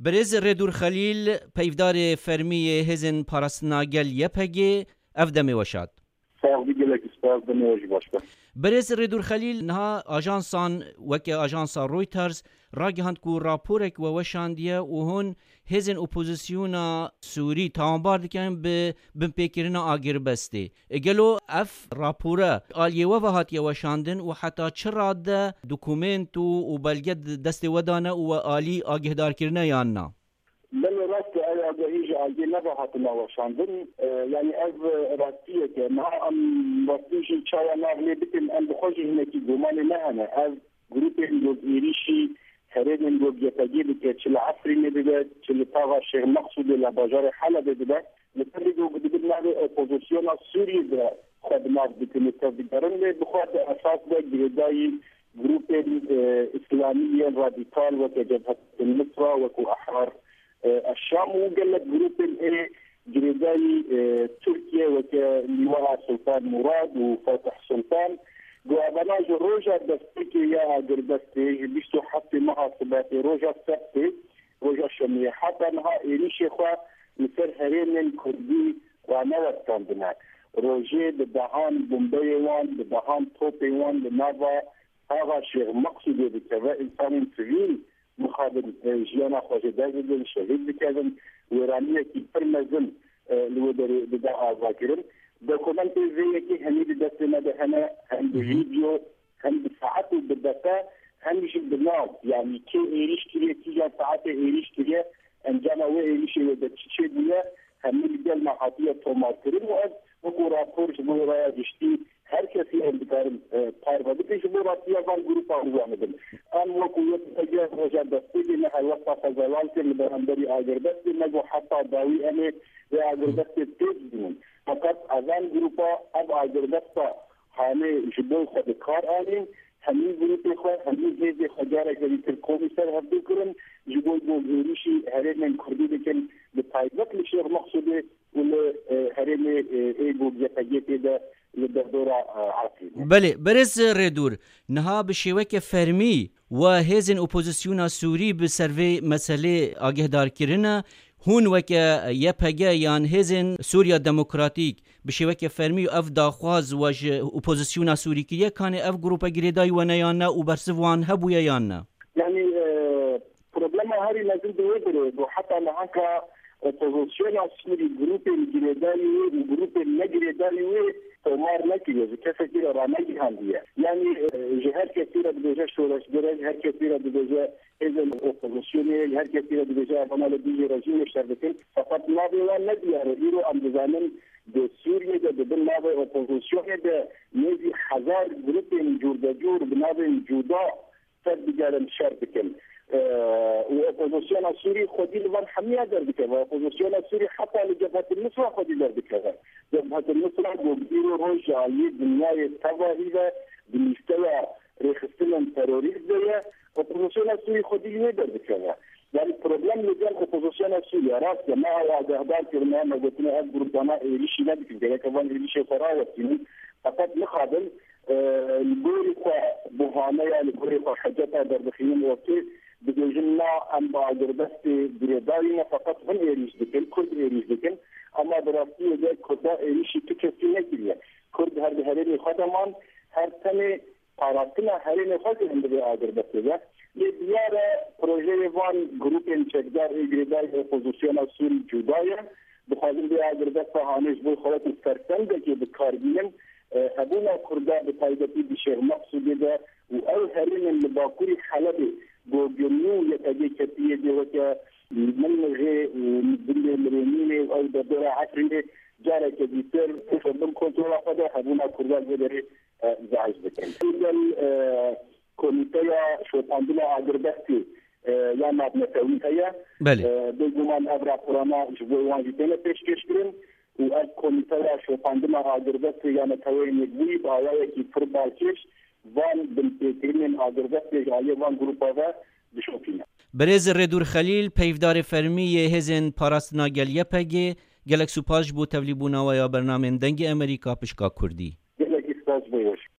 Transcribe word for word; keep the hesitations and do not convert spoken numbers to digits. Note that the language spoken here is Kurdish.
Birêz Rêdûr Xelîl, peyvdarê fermî yê Hêzên Parastina Gel Y P G, ev demê we şad. Sağ ol, gelek spas, demê we jî baş be. Birêz Rêdûr Xelîl, niha ajansan weke ajansa Reuters ragihand ku raporek we weşandiye û hûn hêzên opozisyona Sûrî tawanbar dikin bi binpêkirina agirbestê. E, gelo ev rapore aliyê we ve hatiye weşandin û heta çi rade dokumento û belge di destê we de ne û we alî agîhdar kirine yan na? Belê rast e, ew agahî ji aliyê me ve hatina weşandin. E, yanî ev rastiyek e. Niha em rastî jî çawa nav lê bikin, em bi xwe jî hinekî gumanê me hene. Ev grûpên ku êrîşî herêmên ku Y P G dike, çi li Efrînê dibe, çi li taxa Şêx Meqsûdê li bajarê Helebê dibe, li ser vê ku dibin navê opozisyona Sûriyê de xwe bi nav dikin û tevdigerin, lê bi xwe di esas de girêdayî grûpên, e, îslamî yên radîkal weke Cebhet Nusra, wekû Ehrar, e, Eşşam û gelek grûpên ê girêdayî, e, Tirkiye weke Lîwaa Sultan Murad û Fatih Sultan. Ku evana ji roja destpêkê ya agirbestê, ji bîst û heftê meha Sibatê, roja Sebtê, roja Şemiyê, heta niha êrîşê xwe li ser herêmên Kurdî ranewestandine. Rojê bi dehan bombeyê wan, bi dehan topê wan li nava taxa Şêx Meqsûdê dikeve, însanên sivîl mixabin, e, jiyana xwe ji dest didin, şehîd dikevin, wêraniyekî pir mezin, e, li wê derê dide avakirin. Dokumentê vê yekê hemî di destê me de hene, hem bi vîdeo, hem bi saet û bi deqe, hem jî bi nav, yanî kê êrîş kiriye, kîjan saetê êrîş kiriye, encama wê êrîşê wê de çi çêbûye, hemî li gel me hatiye tomarkirin û ev wekû rapor ji bo raya giştî her kesî em dikarin, e, parve bikin ji bo rastiya van grûpa bizanibin. Em wekû Y P G roja destpêkê me helwesta xwe zelal kir li beramberî agirbestê, me got heta dawî em ê vê agirbestê têk bînin. Feqet evan grûpa ev agirbesta hanê ji bo xwe bi kar anîn, hemî grûpê xwe, hemî hêzê xwe careke dîtir komî ser hevdû kirin, ji bo ku êrîşî herêmên Kurdî dikin, bi taybet li Şêx Meqsûdê û li, e, herêmê, e, ê ku Y P G tê de li derdora, e, Efrînê. Belê, berêz Rêdûr, niha bi şêweke fermî we hêzên opozisyona Sûrî bi ser vê meselê agîhdar kirine. Hûn weke Y P G yan Hêzên Sûriya Demokratîk bi şêweke fermî ev daxwaz we ji opozisyona Sûrî kiriye, kanê ev grûpe girêdayî we ne yan ne û bersiv wan hebûye yan ne? Yanî, e, problema herî mezin di wê derê bû. Heta nihanka opozisyona Sûrî, grûpên girêdayî wê û grûpên ne girêdayî wê tomar nekiriye, ji kesekî re ranegihandiye. Yanî, e, ji her kesî re dibêje şoreşger e, ji her kesî re dibêje hêzên opozisyonê, ji her kesî re dibêje evana li dijî rejîmê şer dikin. Feqet navê wan ne diyar e. Îro em dizanin di Sûriyê de di bin navê opozisyonê de nêzî hezar grûpên cûrdecûr bi navên cuda ser digerin şer dikin. Eee, û opozisyona Sûrî xwedî li van hemiya derdikeve. Opozisyona Sûrî heta li Cebhet Nusra xwedî derdikeve. Cebhet Nusra ku îro roj ji aliyê dinyayê tevahî ve di lîsteya rêxistinên terorîst de ye. Opozisyona Sûrî xwedî li wê derdikeve. Yanî problem li gel opozisyona Sûrî ye. Rast e, me ew agahdar kirine, me gotine ev grûpana êrîşî nedikin. Gereke van êrîşê xwe rawestînin. Feqet mixabin, e, li gorî xwe buhaneya, li gorî xwe heceta derdixînin ortê, dibêjin na, em bi agirbestê girêdayî ne, feqet hûn êrîş dikin, Kurd êrîş dikin. Ema di rastiyê de Kurda êrîşî tu kesî nekiriye. Kurd her di herêmê xwe de man, her tenê parastina herêmê xwe kirin di vê agirbestê de. Lê diyar e projeyê van grûpên çekdar ê girêdayî opozisyona Sûrî cuda ye. Dixwazin vê agirbesta hanê ji bo xwe wekî fersendekê bi kar bînin. E, hebûna Kurda bi taybetî di Şêx Meqsûdê de û ew herêmên li bakurî Helebê, Gogirnû û Y P G ketiye dê weke Milnixê û Gundê Mirênînê û ew derdora Efrînê careke dîtir bin kontrola xwe de hebûna Kurda vê derê, e, zehf dikin. Gel, e, komîteya şopandina agirbestê, e, ya navnetewî heye. Belê. E, bêguman ev raporana ji bo wan jî têne pêşkêş kirin û ev komîteya şopandina agirbestê ya Neteweyên Yekbûyî bi awayekî pir balkêş van binpêkirinên agirbestê ji aliyê van grûpa ve dişopîne. Birêz Rêdûr Xelîl, peyvdarê fermî yê Hêzên Parastina Gel Y P G, gelek spas ji bo tevlîbûna we ya bernamên Dengê Amerîka pişka Kurdî. Gelekî spas bo we.